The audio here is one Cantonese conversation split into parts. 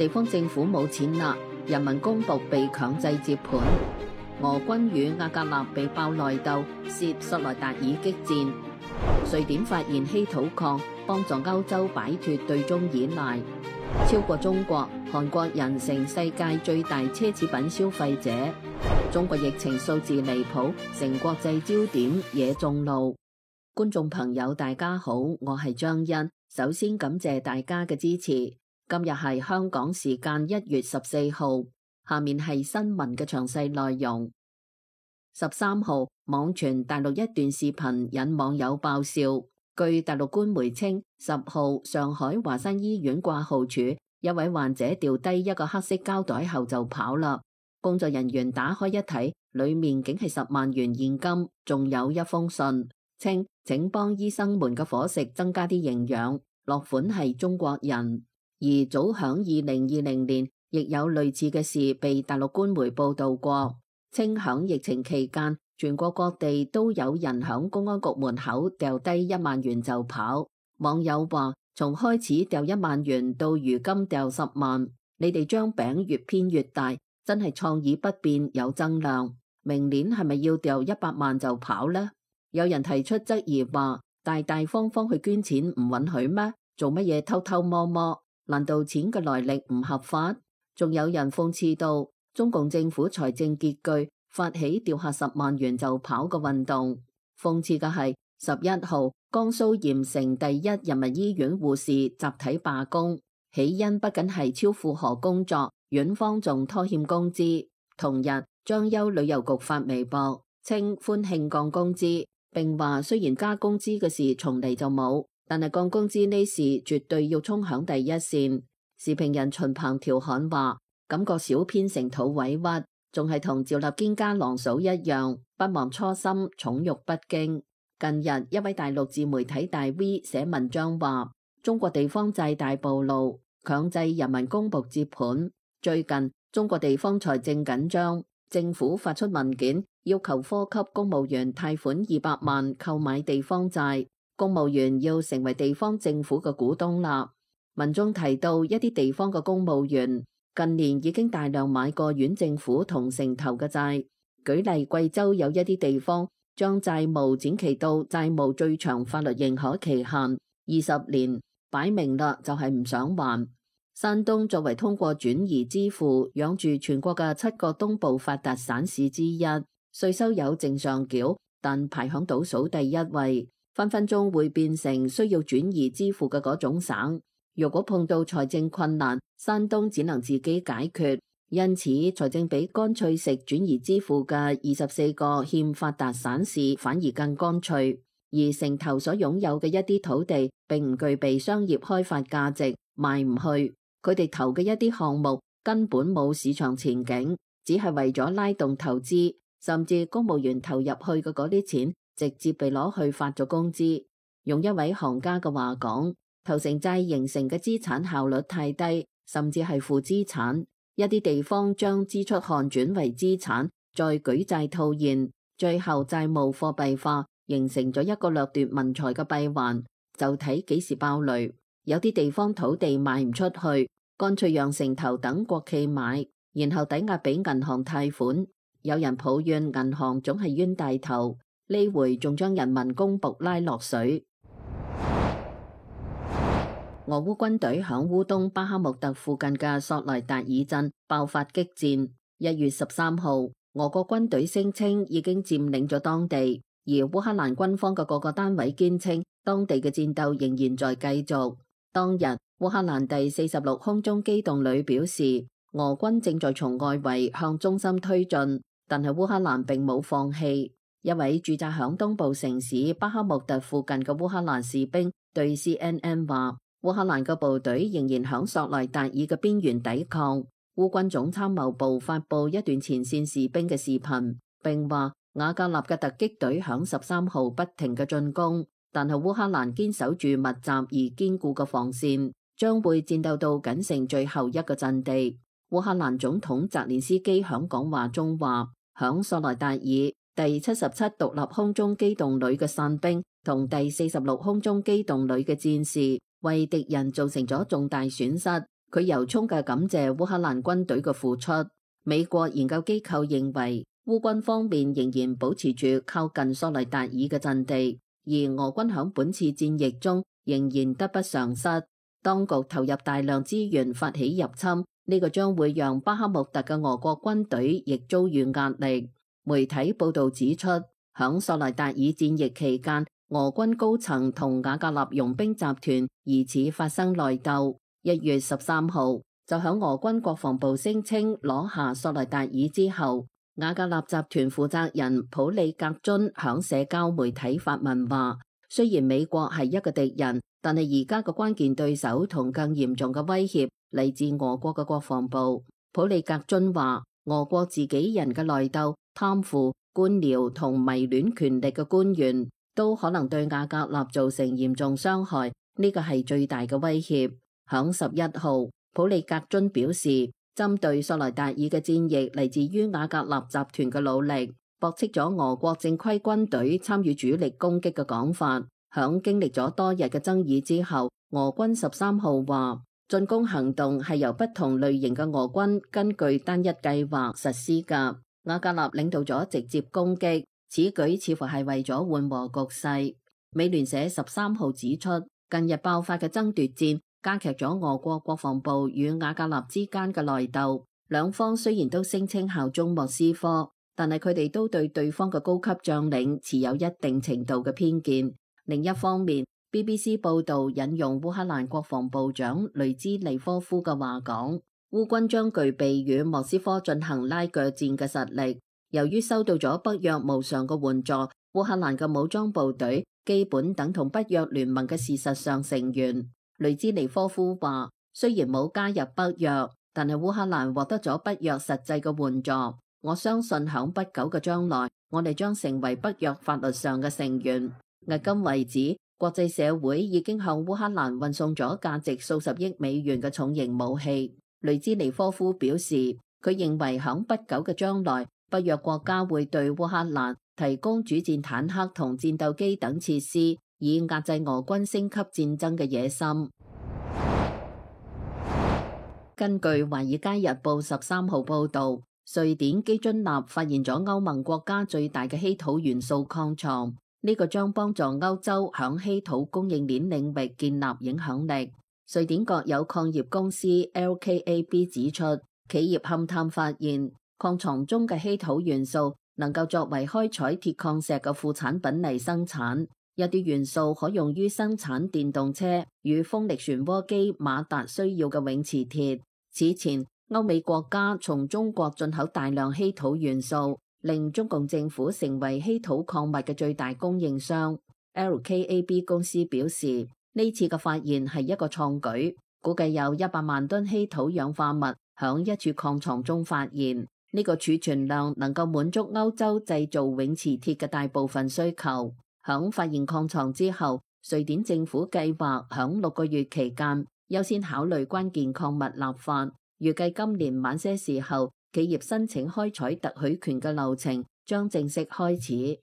地方政府冇錢啦，人民公僕被強制接盤。俄軍與瓦格納被爆內鬥，涉索萊達爾激戰。瑞典發現稀土礦，幫助歐洲擺脫對中依賴。超過中國，韓國人成世界最大奢侈品消費者。中國疫情數字離譜，成國際焦點，惹眾怒。觀眾朋友大家好，我係張欣，首先感謝大家嘅支持。今日係香港時間1月14號，下面係新聞嘅詳細內容。13號，網傳大陸一段視頻引網友爆笑。據大陸官媒稱，10號上海華山醫院掛號處一位患者掉低一個黑色膠袋後就跑啦。工作人員打開一睇，裏面竟係10萬元現金，仲有一封信，稱請幫醫生們嘅伙食增加啲營養。落款係中國人。而早響2020年，亦有類似嘅事被大陸官媒報道過，稱響疫情期間，全國各地都有人響公安局門口掉低1萬元就跑。網友話：從開始掉1萬元到如今掉10萬，你哋將餅越編越大，真係創意不變有增量。明年係咪要掉100萬就跑呢？有人提出質疑話：大大方方去捐錢唔允許咩？做乜嘢偷偷摸摸？難道錢嘅來歷唔合法？仲有人諷刺到中共政府財政拮據，發起掉下10萬元就跑嘅運動。諷刺嘅係11號江蘇鹽城第一人民醫院護士集體罷工，起因不僅係超負荷工作，院方仲拖欠工資。同日，張邱旅遊局發微博稱歡慶降工資，並話雖然加工資嘅事從嚟就冇，但係降工資呢事絕對要衝響第一線。時評人秦鵬調侃話：感覺小編成肚委屈，仲係同趙立堅家郎嫂一樣，不忘初心，寵辱不驚。近日一位大陸自媒體大 V 寫文章話：中國地方債大暴露，強制人民公僕接盤。最近中國地方財政緊張，政府發出文件要求科級公務員貸款200萬購買地方債。公務員要成為地方政府嘅股東啦。文中提到一啲地方嘅公務員近年已經大量買過縣政府同城投嘅債。舉例，貴州有一啲地方將債務展期到債務最長法律認可期限20年，擺明啦就係唔想還。山東作為通過轉移支付養住全國嘅7個東部發達省市之一，稅收有正上繳，但排響倒數第一位。分分鐘會變成需要轉移支付嘅嗰種省。如果碰到財政困難，山東只能自己解決。因此，財政比乾脆食轉移支付嘅24個欠發達省市反而更乾脆。而城投所擁有嘅一啲土地並唔具備商業開發價值，賣唔去。佢哋投嘅一啲項目根本冇市場前景，只係為咗拉動投資，甚至公務員投入去嘅嗰啲錢直接被攞去發咗工資。用一位行家嘅話講，投城債形成嘅資產效率太低，甚至係負資產。一啲地方將支出項轉為資產，再舉債套現，最後債務貨幣化，形成咗一個掠奪民財嘅閉環。就睇幾時爆雷。有啲地方土地賣唔出去，乾脆讓城投等國企買，然後抵押俾銀行貸款。有人抱怨銀行總係冤大頭。呢回仲將人民公僕拉落水。俄烏軍隊響烏東巴克穆特附近嘅索萊達爾鎮爆發激戰。1月13號，俄國軍隊聲稱已經佔領咗當地，而烏克蘭軍方嘅各個單位堅稱當地嘅戰鬥仍然在繼續。當日，烏克蘭第46空中機動旅表示，俄軍正在從外圍向中心推進，但係烏克蘭並冇放棄。一位駐紮響東部城市巴克穆特附近嘅烏克蘭士兵對 CNN 話，烏克蘭嘅部隊仍然響索萊達爾嘅邊緣抵抗。烏軍總參謀部發布一段前線士兵嘅視頻，並話瓦格納嘅突擊隊響13號不停嘅進攻，但係烏克蘭堅守住密集而堅固嘅防線，將會戰鬥到僅剩最後一個陣地。烏克蘭總統澤連斯基響講話中話，響索萊達爾第77獨立空中機動旅嘅傘兵同第46空中機動旅嘅戰士為敵人造成咗重大損失，佢由衷嘅感謝烏克蘭軍隊嘅付出。美國研究機構認為，烏軍方面仍然保持住靠近索雷達爾嘅陣地，而俄軍響本次戰役中仍然得不償失。當局投入大量資源發起入侵，呢個將會讓巴克穆特嘅俄國軍隊亦遭遇壓力。媒體報道指出，響索雷達爾戰役期間，俄軍高層同瓦格納傭兵集團疑似發生內鬥。1月13號，就響俄軍國防部聲稱攞下索雷達爾之後，瓦格納集團負責人普里格津響社交媒體發文話，雖然美國係一個敵人，但係而家嘅關鍵對手同更嚴重嘅威脅嚟自俄國嘅國防部。普里格津話，俄國自己人嘅內鬥、貪腐、官僚同迷戀權力嘅官員都可能對瓦格納造成嚴重傷害，呢個係最大嘅威脅。響11號，普里格津表示，針對索雷達爾嘅戰役嚟自於瓦格納集團嘅努力，駁斥咗俄國正規軍隊參與主力攻擊嘅講法。響經歷咗多日嘅爭議之後，俄軍13號話，進攻行動係由不同類型嘅俄軍根據單一計劃實施㗎。瓦格納領導咗直接攻擊，此舉似乎係為咗緩和局勢。美聯社13號指出，近日爆發嘅爭奪戰加劇咗俄國國防部與瓦格納之間嘅內鬥。兩方雖然都聲稱效忠莫斯科，但係佢哋都對對方嘅高級將領持有一定程度嘅偏見。另一方面，BBC 報導引用烏克蘭國防部長雷茲尼科夫嘅話講，烏軍將具備與莫斯科進行拉鋸戰嘅實力。由於收到咗北約無償嘅援助，烏克蘭嘅武裝部隊基本等同北約聯盟嘅事實上成員。雷茲尼科夫話，雖然冇加入北約，但係烏克蘭獲得咗北約實際嘅援助。我相信響不久嘅將來，我哋將成為北約法律上嘅成員。迄今為止，國際社會已經向烏克蘭運送咗價值數十億美元嘅重型武器。雷茲尼科夫表示，佢認為響不久嘅將來，北約國家會對烏克蘭提供主戰坦克同戰鬥機等設施，以壓制俄軍升級戰爭嘅野心。根據《華爾街日報》13號報導，瑞典基津納發現咗歐盟國家最大嘅稀土元素礦床。呢個將幫助歐洲響稀土供應鏈領域建立影響力。瑞典國有礦業公司 LKAB 指出，企業勘探發現礦床中嘅稀土元素能夠作為開採鐵礦石嘅副產品嚟生產，有啲元素可用於生產電動車與風力旋渦機馬達需要嘅永磁鐵。此前，歐美國家從中國進口大量稀土元素，令中共政府成為稀土礦物嘅最大供應商。LKAB 公司表示，呢次嘅發現係一個創舉，估計有100萬噸稀土氧化物響一處礦床中發現。呢個儲存量能夠滿足歐洲製造永磁鐵嘅大部分需求。響發現礦床之後，瑞典政府計劃響6個月期間優先考慮關鍵礦物立法，預計今年晚些時候，企業申請開採特許權嘅流程將正式開始。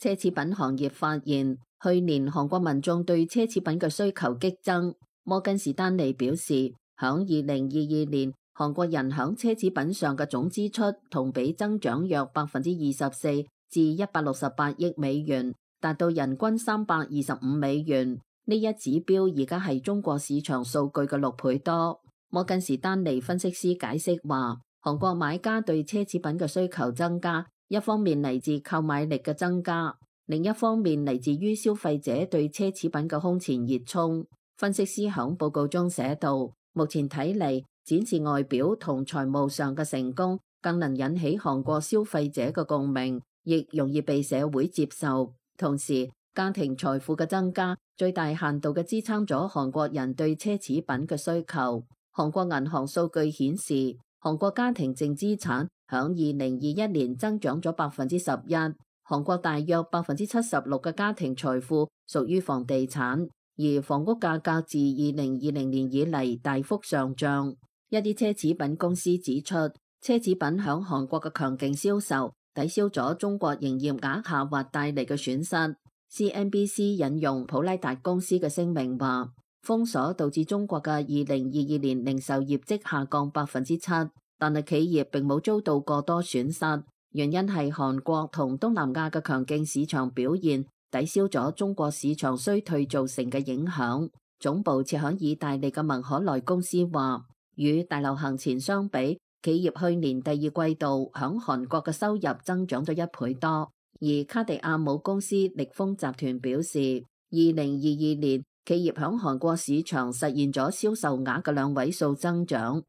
奢侈品行業發現，去年韓國民眾對奢侈品嘅需求激增。摩根士丹利表示，響2022年，韓國人響奢侈品上嘅總支出同比增長約24%至168億美元，達到人均325美元。呢一指標而家係中國市場數據嘅6倍多。摩根士丹利分析師解釋話，韓國買家對奢侈品嘅需求增加，一方面嚟自購買力嘅增加，另一方面嚟自於消費者對奢侈品嘅空前熱衷。分析師響報告中寫道，目前睇嚟，展示外表同財務上嘅成功，更能引起韓國消費者嘅共鳴，亦容易被社會接受。同時，家庭財富嘅增加，最大限度嘅支撐咗韓國人對奢侈品嘅需求。韓國銀行數據顯示，韓國家庭淨資產響2021年增長咗11%。韓國大約76%嘅家庭財富屬於房地產，而房屋價格自2020年以嚟大幅上漲。一啲奢侈品公司指出，奢侈品響韓國嘅強勁銷售抵消咗中國營業額下滑帶嚟嘅損失。CNBC 引用普拉達公司嘅聲明話，封鎖導致中國嘅2022年零售業績下降7%，但係企業並冇遭到過多損失，原因係韓國同東南亞嘅強勁市場表現抵消咗中國市場衰退造成嘅影響。總部設響意大利嘅文可萊公司話，與大流行前相比，企業去年第二季度響韓國嘅收入增長咗1倍多。而卡地亞母公司力豐集團表示，2022年企業響韓國市場實現咗銷售額嘅2位數增長。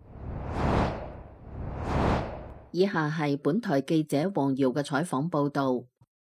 以下係本台記者黃瑤嘅採訪報道。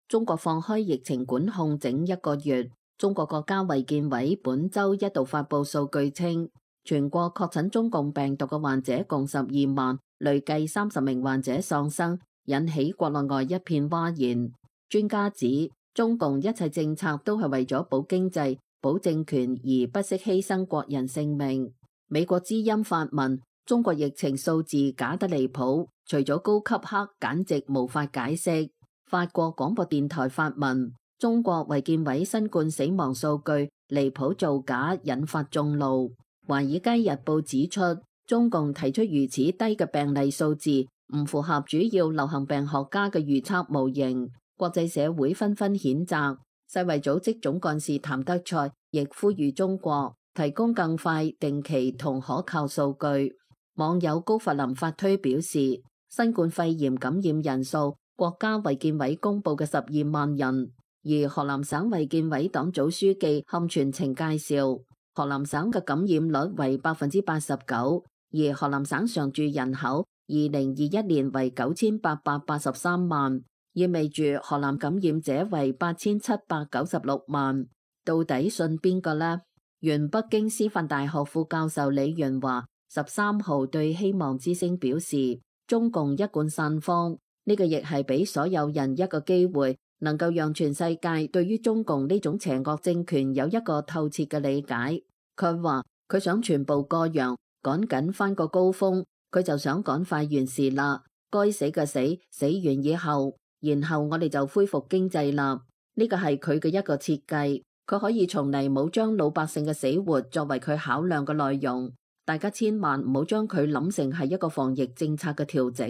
中國放開疫情管控整1個月，中國國家衛健委本周一度發佈數據稱，全國確診中共病毒嘅患者共12萬，累計30名患者喪生，引起國內外一片譁然。專家指，中共一切政策都係為咗保經濟、保政權而不惜犧牲國人性命。美國之音發文，中國疫情數字假得離譜，除咗高級黑，簡直無法解釋。法國廣播電台發文，中國衛健委新冠死亡數據離譜造假，引發眾怒。華爾街日報指出，中共提出如此低嘅病例數字，唔符合主要流行病學家嘅預測模型。國際社會紛紛譴責，世衛組織總幹事譚德塞亦呼籲中國提供更快、定期同可靠數據。網友高佛林發推表示，新冠肺炎感染人數國家衛健委公布嘅12萬人，而河南省衛健委黨組書記冚全程介紹，河南省嘅感染率為89%，而河南省常住人口2021年為9883萬。意味住河南感染者為8796萬，到底信邊個呢？原北京師範大學副教授李元華13號對希望之聲表示，中共一貫散謊，呢個亦係俾所有人一個機會，能夠讓全世界對於中共呢種邪惡政權有一個透徹嘅理解。佢話佢想全部過洋，趕緊翻個高峰，佢就想趕快完事啦，該死嘅死，死完以後。然後我哋就恢復經濟啦，呢個係佢嘅一個設計，佢可以從嚟冇將老百姓嘅死活作為佢考量嘅內容。大家千萬唔好將佢諗成係一個防疫政策嘅調整，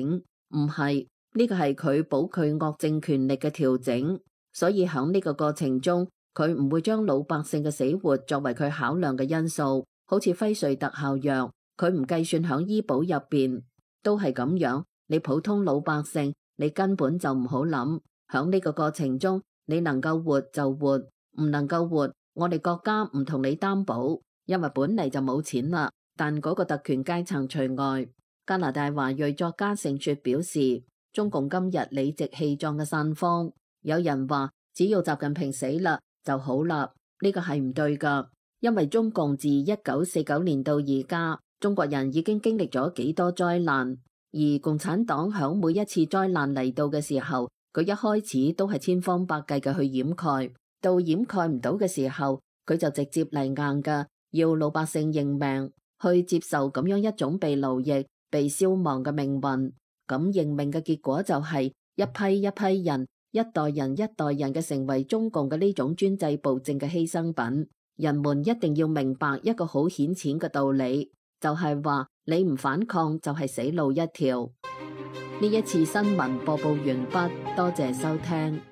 唔係，呢個係佢保佢惡政權力嘅調整。所以喺呢個過程中，佢唔會將老百姓嘅死活作為佢考量嘅因素。好似輝瑞特效藥，佢唔計算喺醫保入邊，都係咁樣。你普通老百姓，你根本就唔好諗，響呢個過程中，你能夠活就活，唔能夠活，我哋國家唔同你擔保，因為本嚟就冇錢啦。但嗰個特權階層除外。加拿大華裔作家盛雪表示，中共今日理直氣壯嘅散謊，有人話只要習近平死啦就好啦，呢個係唔對噶，因為中共自1949年到而家，中國人已經經歷咗幾多災難。而共產黨響每一次災難嚟到嘅時候，佢一開始都係千方百計嘅去掩蓋，到掩蓋唔到嘅時候，佢就直接嚟硬噶，要老百姓認命，去接受咁樣一種被奴役、被消亡嘅命運。咁認命嘅結果就係一批一批人、一代人一代人嘅成為中共嘅呢種專制暴政嘅犧牲品。人們一定要明白一個好顯淺嘅道理，就係話你唔反抗就係死路一條。呢一次新聞播報完畢，多謝收聽。